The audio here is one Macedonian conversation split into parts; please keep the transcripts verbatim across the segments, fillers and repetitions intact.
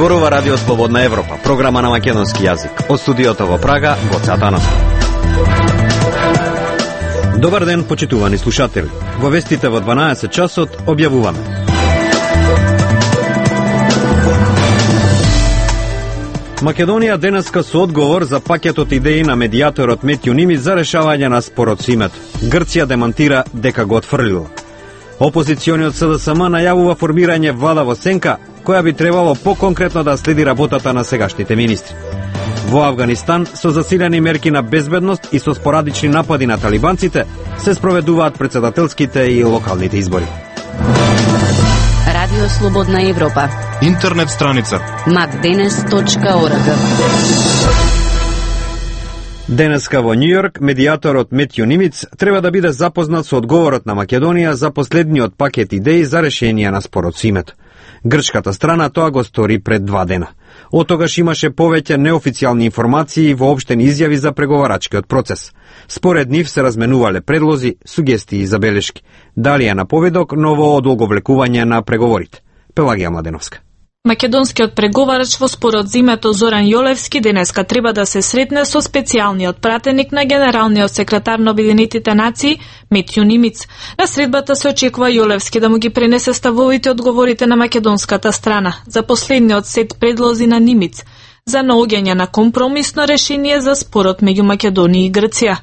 Зборува Радио Слободна Европа, програма на македонски јазик. Од студиото во Прага, Гоце Атанасов. Добар ден, почитувани слушатели. Во вестите во дванаесет часот објавуваме. Македонија денеска со одговор за пакетот идеи на медијаторот Метју Нимиц за решавање на спорот со името. Грција демантира дека го отфрлила. Опозициониот СДСМ најавува формирање влада во сенка, која би требало поконкретно да следи работата на сегашните министри. Во Авганистан, со засилени мерки на безбедност и со спорадични напади на талибанците, се спроведуваат претседателските и локалните избори. Радио Слободна Европа. Интернет страница макденес точка орг. Денеска во Њујорк, медијаторот Метју Нимиц треба да биде запознат со одговорот на Македонија за последниот пакет идеи за решение на спорот со името. Грчката страна тоа го стори пред два дена. Од тогаш имаше повеќе неофицијални информации и воопштени изјави за преговарачкиот процес. Според нив се разменувале предлози, сугестии и забелешки. Дали е наповедок ново одолговлекување на преговорите? Пелагија Младеновска. Македонскиот преговарач во спорот за името Зоран Јолевски денеска треба да се сретне со специјалниот пратеник на генералниот секретар на Обединетите нации Метју Нимиц. На средбата се очекува Јолевски да му ги пренесе ставовите одговорите на македонската страна за последниот сет предлози на Нимиц за наоѓање на компромисно решение за спорот меѓу Македонија и Грција.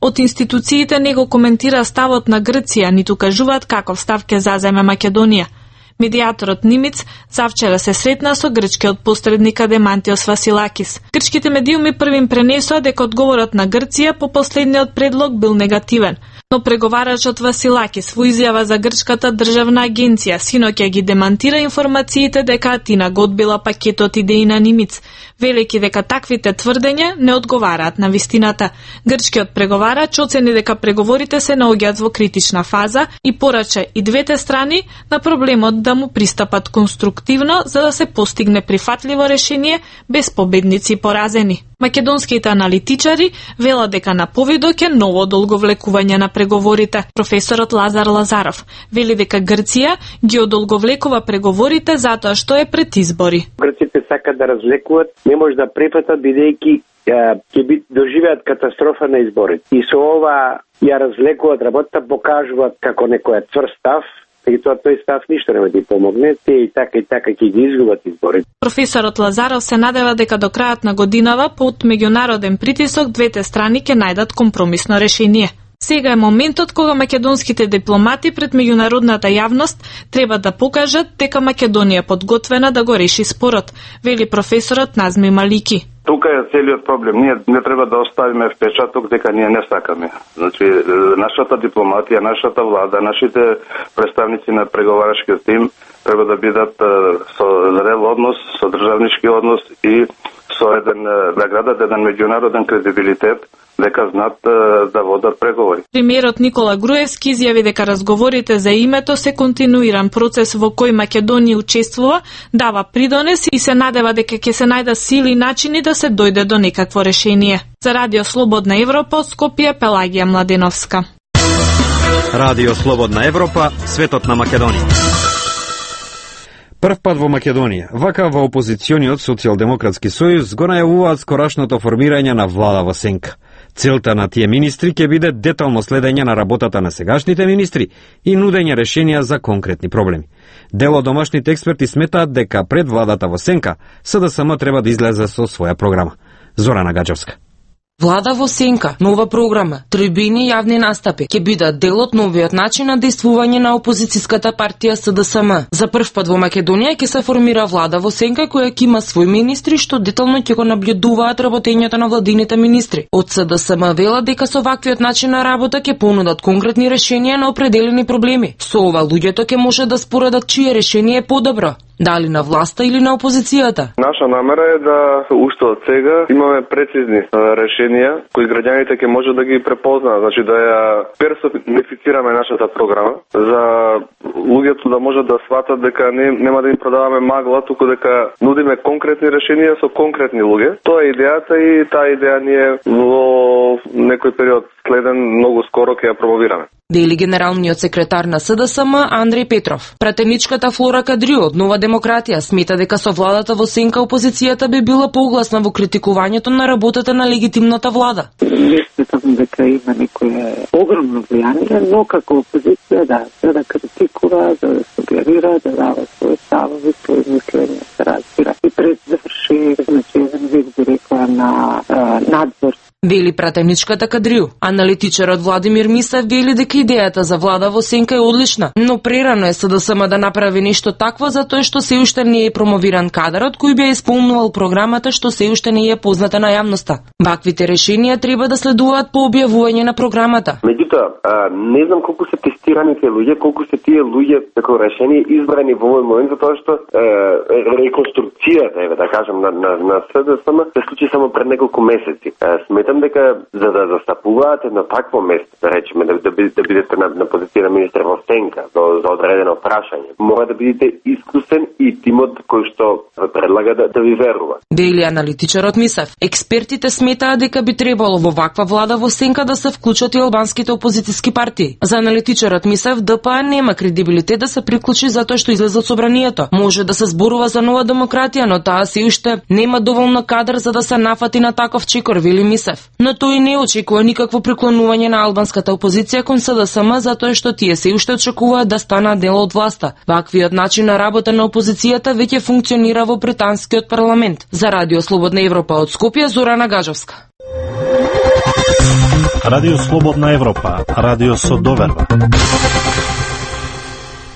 Од институциите не го коментира ставот на Грција, ниту кажуваат каков став ќе заземе Македонија. Медијаторот Нимиц завчера се сретна со грчкиот посредник Адемантиос Василакис. Грчките медиуми првим пренесоа дека одговорот на Грција по последниот предлог бил негативен, но преговарачот Василакис во изјава за грчката државна агенција синоќа ги демантира информациите дека Атина го одбила пакетот идеи на Нимиц, велики дека таквите тврдења не одговараат на вистината. Грчкиот преговарач оцени дека преговорите се наоѓаат во критична фаза и порача и двете страни на проблемот да му пристапат конструктивно за да се постигне прифатливо решение без победници и поразени. Македонските аналитичари велат дека наповедок е ново одолговлекување на преговорите. Професорот Лазар Лазаров вели дека Грција ги одолговлекува преговорите затоа што е пред избори. Грците сакаат да развлекуваат, не може да препатат бидејќи ќе би доживеат катастрофа на изборите. И со ова ја развлекуваат работата, покажуваат како некој цврст став. И тоа тој став ништо нема да ти помогне, те и така и така ќе ги изгубат изборите. Професорот Лазаров се надева дека до крајот на годинава под меѓународен притисок двете страни ќе најдат компромисно решение. Сега е моментот кога македонските дипломати пред меѓународната јавност треба да покажат дека Македонија е подготвена да го реши спорот, вели професорот Назми Малики. Тука е целиот проблем. Ние не треба да оставиме впечаток дека ние не сакаме. Значи, нашата дипломатија, нашата влада, нашите представници на преговарачкиот тим треба да бидат со зрел однос, со државнички однос и со еден, да градат еден меѓународен кредибилитет, дека знаат да водат преговори. Премиерот Никола Груевски изјави дека разговорите за името се континуиран процес во кој Македонија учествува, дава придонес и се надева дека ќе се најдат сили и начини да се дојде до некакво решение. За Радио Слободна Европа од Скопје, Пелагија Младеновска. Радио Слободна Европа, светот на Македонија. Прв пат во Македонија, вака во опозициониот Социјалдемократски сојуз го најавуваат скорашното формирање на влада во сенка. Целта на тие министри ќе биде детално следење на работата на сегашните министри и нудење решенија за конкретни проблеми. Дел од домашните експерти сметаат дека пред владата во сенка СДСМ треба да излезе со своја програма. Зорана Гаџевска. Влада во сенка, нова програма, тројбини јавни настапи ќе бидат дел од новиот начин на действување на опозицијската партија СДСМ. За прв пат во Македонија ќе се формира влада во сенка која ќе има свој министри што детално ќе го наблюдуваат работењето на владините министри. Од СДСМ велат дека со ваквиот начин на работа ќе понудат конкретни решенија на определени проблеми. Со ова луѓето ќе може да споредат чие решение е подобро. Дали на власта или на опозицијата? Наша намера е да уште од сега имаме прецизни решенија кои граѓаните ќе може да ги препознаат, значи да ја персонифицираме нашата програма за луѓето да можат да сватат дека не, нема да им продаваме магла, туку дека нудиме конкретни решенија со конкретни луѓе. Тоа е идејата и таа идеја ние во некој период следен многу скоро ќе ја промовираме. Дели генералниот секретар на СДСМ Андреј Петров. Пратеничката Флора Кадрiju од Нова демократија смета дека со владата во сенка опозицијата би била погласна во критикувањето на работата на легитимната влада. Не сметам дека има некое огромно влијание, но како опозиција да, за да критикува, да, да сугерира, да дава своји ставови, своји мислења, се разбира. И пред заврши, значи, еден вид би рекла на а, надзор. Вели пратеничката Кадрiju. Аналитичарот Владимир Мисев вели дека идејата за влада во сенка е одлична, но прерано е СДСМ да направи нешто такво затоа што се уште не е промовиран кадарот кој би ја исполнувал програмата што се уште не е позната на јавноста. Ваквите решенија треба да следуваат по објавување на програмата. Меѓутоа, не знам колку се тестираните луѓе, колку се тие луѓе како решение избрани во овој момент, затоа што е, реконструкцијата, еве да кажам, на, на, на СДСМ се случи само пред неколку месеци. Сметам дека за да застапуваат на такво место, да речеме, да, да, да бидете на, на позиција на министер во сенка за, за одредено прашање, мора да бидете искусен и тимот кој што предлага да, да ви верува. Дели аналитичарот Мисев. Експертите сметаат дека би требало во ваква влада во сенка да се вклучат и албанските опозициски партии. За аналитичарот Мисев ДПА нема кредибилитет да се приклучи затоа што излезе од собранието. Може да се зборува за Нова демократија, но таа се уште нема доволно кадар за да се нафати на таков чекор, вели Мисев. Но тој не очекува никакво преклонување на албанската опозиција кон СДСМ затоа што тие се уште очекуваат да станат дел од власта. Ваквиот начин на работа на опозицијата веќе функционира во британскиот парламент. За Радио Слободна Европа од Скопје, Зорана Гажовска. Радио Слободна Европа, радио со доверба.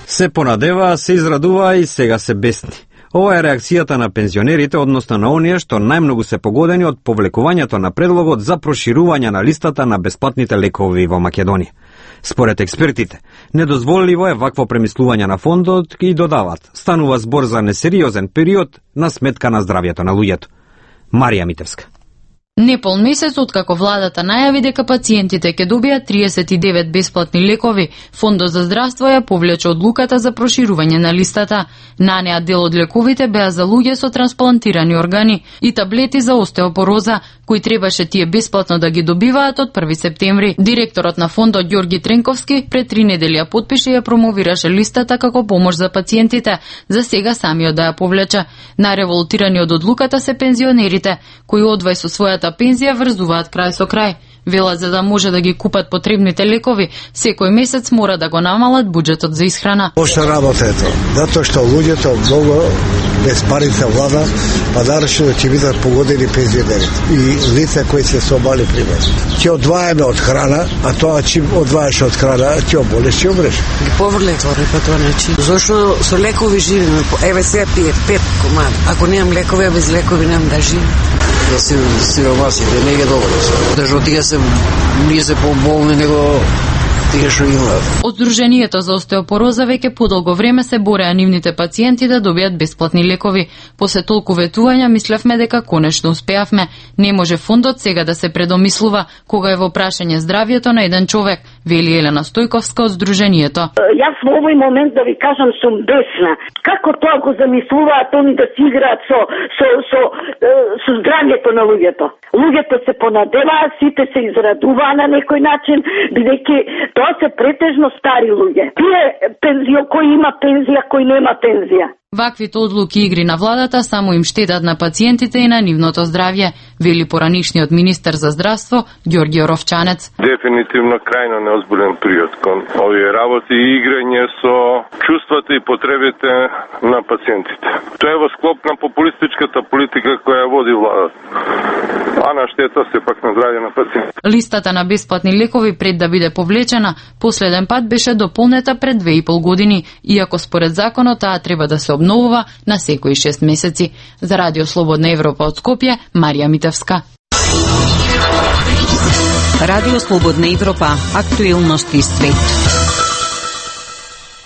Се понадева, се израдува и сега се бесни. Ова е реакцијата на пензионерите, односно на оние што најмногу се погодени од повлекувањето на предлогот за проширување на листата на бесплатните лекови во Македонија. Според експертите, недозволиво е вакво премислување на фондот и додават, станува збор за несериозен период на сметка на здравјето на луѓето. Марија Митевска. Непол месец откако владата најави дека пациентите ќе добијат триесет и девет бесплатни лекови, Фондот за здравство ја повлече одлуката за проширување на листата. На неа дел од лековите беа за луѓе со трансплантирани органи и таблети за остеопороза, кои требаше тие бесплатно да ги добиваат од први септември. Директорот на фондот Ѓорги Тренковски пред три недели ја потпише и ја промовираше листата како помош за пациентите, за сега самиот да ја повлече. Најреволтирани од одлуката се пензионерите, кои одвај со својата пензија врзуваат крај со крај. Велат за да може да ги купат потребните лекови, секој месец мора да го намалат буџетот за исхрана. Пошто работа е тоа? Затоа што луѓето многу без парица влада, па нарочно ќе бидат погодени пензионерите и лица кои се со мали примери. Ќе одваеме од храна, а тоа чим одваеш од храна, ќе оболеш, ќе умреш. Ги поврле тоа по тој начин. Зошто со лекови живееме? Еве сега пие пет комади. Ако немам лекови, а без лекови немам да живеам. Да се сиромасите, не е добро. Дажо тие се ние се поболни него тие што имаат. Од Сдруженијето за остеопороза веќе подолго време се бореа нивните пациенти да добијат бесплатни лекови. После толку ветувања мислевме дека конечно успеавме. Не може фондот сега да се предомислува кога е во прашање здравјето на еден човек, вели Елена Стојковска од Сдруженијето. Јас во овој момент да ви кажам сум бесна. Како тоа го замислуваат они да си играат со со со со здравјето на луѓето? Луѓето се понадеваат, сите се израдуваат на некој начин, бидејќи тоа се претежно стари луѓе. Тие пензио кој има пензија, кој нема пензија. Ваквите одлуки игри на владата само им штетат на пациентите и на нивното здравје, вели поранишниот министер за здравство Ѓорѓе Оровчанец. Дефинитивно крајно неозбилен период кон овие работи и играње со чувствата и потребите на пациентите. Тоа е во склоп на популистичката политика која води владата, а на штета се пак на здравје на пациентите. Листата на бесплатни лекови пред да биде повлечена, последен пат беше дополнета пред две и пол години, иако според законот таа треба да се обновува на секои шест месеци. За Радио Слободна Европа од Скопје, Марија Митевска. Радио Слободна Европа, актуелности свет.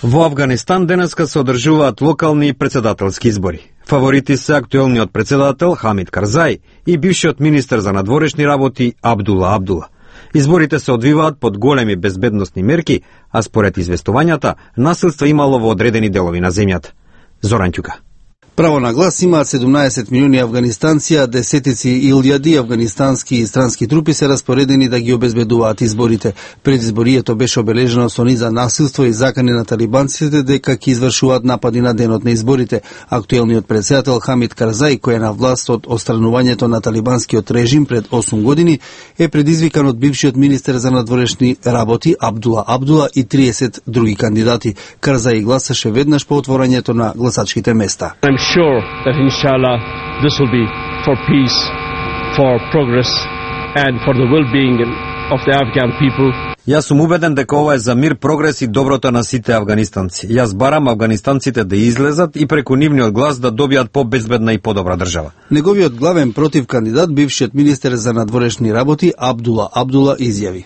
Во Авганистан денеска се одржуваат локални и председателски избори. Фаворити се актуелниот председател Хамид Карзај и бившиот министер за надворешни работи Абдула Абдула. Изборите се одвиваат под големи безбедносни мерки, а според известувањата, насилство имало во одредени делови на земјата. Зоран Ќука. Право на глас имаат седумнаесет милиони афганистанци, а десетици илјади афганистански и странски трупи се распоредени да ги обезбедуваат изборите. Предизборието беше обележено со низа насилство и закани на талибанците дека ќе извршуваат напади на денот на изборите. Актуелниот претседател Хамид Карзаи, кој е на власт од отстранувањето на талибанскиот режим пред осум години, е предизвикан од бившиот министер за надворешни работи Абдула Абдула и триесет други кандидати. Карзаи гласаше веднаш по отворањето на гласачките места. Sure that inshallah this will be for peace, for progress and for the well-being of the Afghan people. Јас сум убеден дека ова е за мир, прогрес и доброто на сите афганистанци. Јас барам афганистанците да излезат и преку нивниот глас да добијат побезбедна и подобра држава. Неговиот главен против кандидат, бившиот министер за надворешни работи Абдула Абдула изјави: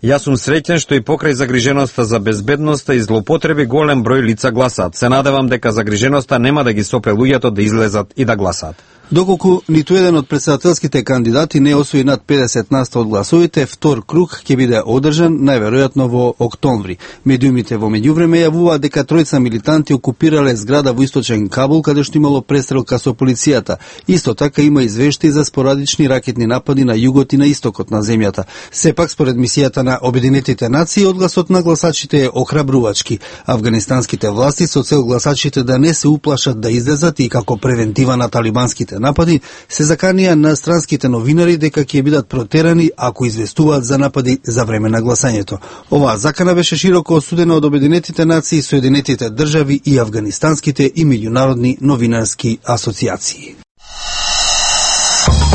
Јас сум среќен што и покрај загриженоста за безбедноста и злоупотреби голем број лица гласаат. Се надевам дека загриженоста нема да ги сопре луѓето да излезат и да гласаат. Доколку ниту еден од претседателските кандидати не освои над педесет на сто од гласовите, втор круг ќе биде одржан најверојатно во октомври. Медиумите во меѓувреме јавуваат дека тројца милитанти окупирале зграда во источен Кабул, каде што имало престрелка со полицијата. Исто така има извештаи за спорадични ракетни напади на југот и на истокот на земјата. Сепак, според мисијата на Обединетите нации, одгласот на гласачите е охрабрувачки. Афганистанските власти со цел гласачите да не се уплашат да излезат и како превентива на талибанските напади, се заканија на странските новинари дека ќе бидат протерани ако известуваат за напади за време на гласањето. Оваа закана беше широко осудена од Обединетите нации, Соединетите држави и афганистанските и меѓународни новинарски асоциации.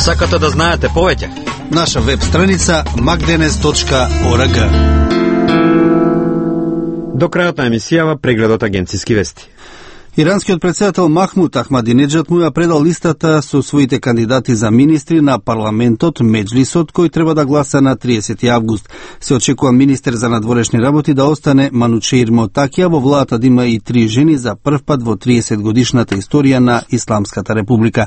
Сакате да знаете повеќе? Наша веб страница макденес точка орг. До крајот на емисијава прегледот агенциски вести. Иранскиот претседател Махмуд Ахмадинеджад му ја предал листата со своите кандидати за министри на парламентот Меджлисот, кој треба да гласа на триесети август. Се очекува министер за надворешни работи да остане Манучеир Мотакија, во владата да има и три жени за прв пат во триесет годишната историја на Исламската република.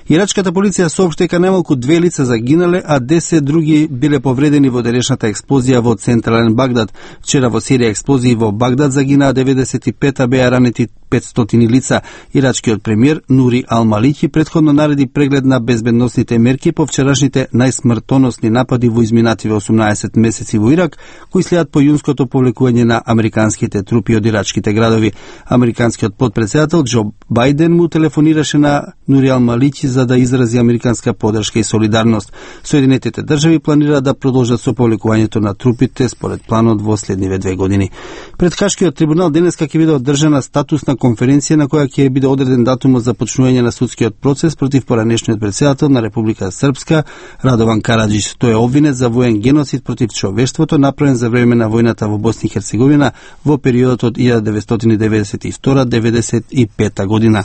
Ирачката полиција соопшти дека најмалку две лица загинале, а десет други биле повредени во денешната експлозија во централен Багдад. Вчера во серија експлозии во Багдад загинаа деветдесет и пет, а беа ранети петстотини лица. Ирачкиот премиер Нури Ал-Малики претходно нареди преглед на безбедносните мерки по вчерашните најсмртоносни напади во изминативе осумнаесет месеци во Ирак, кои следат по јунското повлекување на американските трупи од ирачките градови. Американскиот подпредседател Џо Бајден му телефонираше на Нури Ал-Малики за да изрази американска поддршка и солидарност. Соединетите држави планираат да продолжат со повлекувањето на трупите според планот во следниве две години. Пред Хашкиот трибунал денеска ќе биде одржана статусна конференција на која ќе биде одреден датумот за почнување на судскиот процес против поранешниот претседател на Република Српска Радован Караџич. Тој е обвинет за воен геноцид против човештвото направен за време на војната во Босна и Херцеговина во периодот од илјада деветстотини деветдесет и втора до деветдесет и пета година.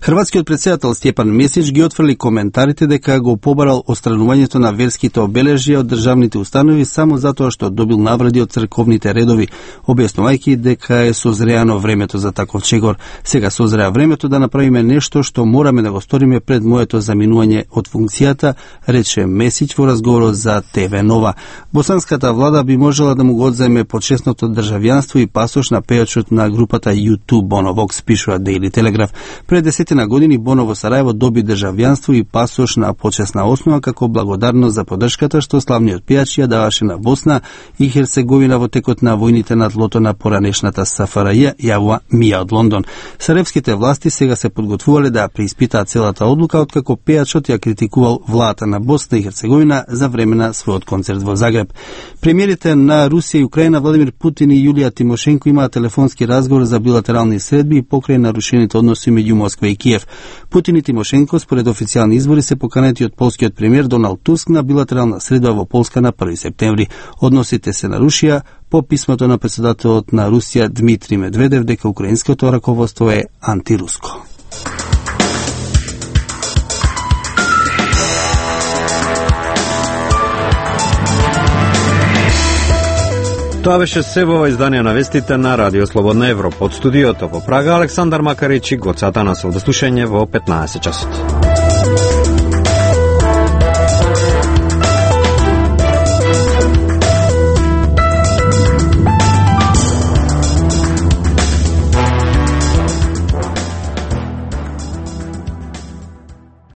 Хрватскиот претседател Стјепан Месич ги отфрли коментарите дека го побарал отстранувањето на верските обележја од државните установи само затоа што добил навради од црковните редови, објаснувајќи дека е созреано времето за таков чегор. Сега созреа времето да направиме нешто што мораме да го сториме пред моето заминување од функцијата, рече Месич во разговорот за Те Ве Нова. Босанската влада би можела да му го одземе почесното државјанство и пасош на пејачот на групата Ю ту Боно Вокс, пишува Daily Telegraph. Пред десетина години Боно во Сарајево доби државјанство и пасош на почесна основа како благодарност за поддршката што славниот пејач ја даваше на Босна и Херцеговина во текот на војните на тлото на поранешната С Ф Р Ј, јавува Мија од Лондон. Сараевските власти сега се подготвувале да преиспитаат целата одлука, откако пејачот ја критикувал владата на Босна и Херцеговина за време на својот концерт во Загреб. Премиерите на Русија и Украина Владимир Путин и Јулија Тимошенко имаат телефонски разговор за билатерални средби и покрај нарушените односи меѓу Москва и Киев. Путин и Тимошенко според официјални извори се поканети од полскиот премиер Доналд Туск на билатерална средба во Полска на први септември. Односите се нарушија по писмото на претседателот на Русија Дмитрий Медведев дека украинското раководство е антируско. Тоа беше се во издание на вестите на Радио Слободна Европа. Од студиото во Прага Александар Макарич и Гоца Атанасов. До слушање во петнаесет часот.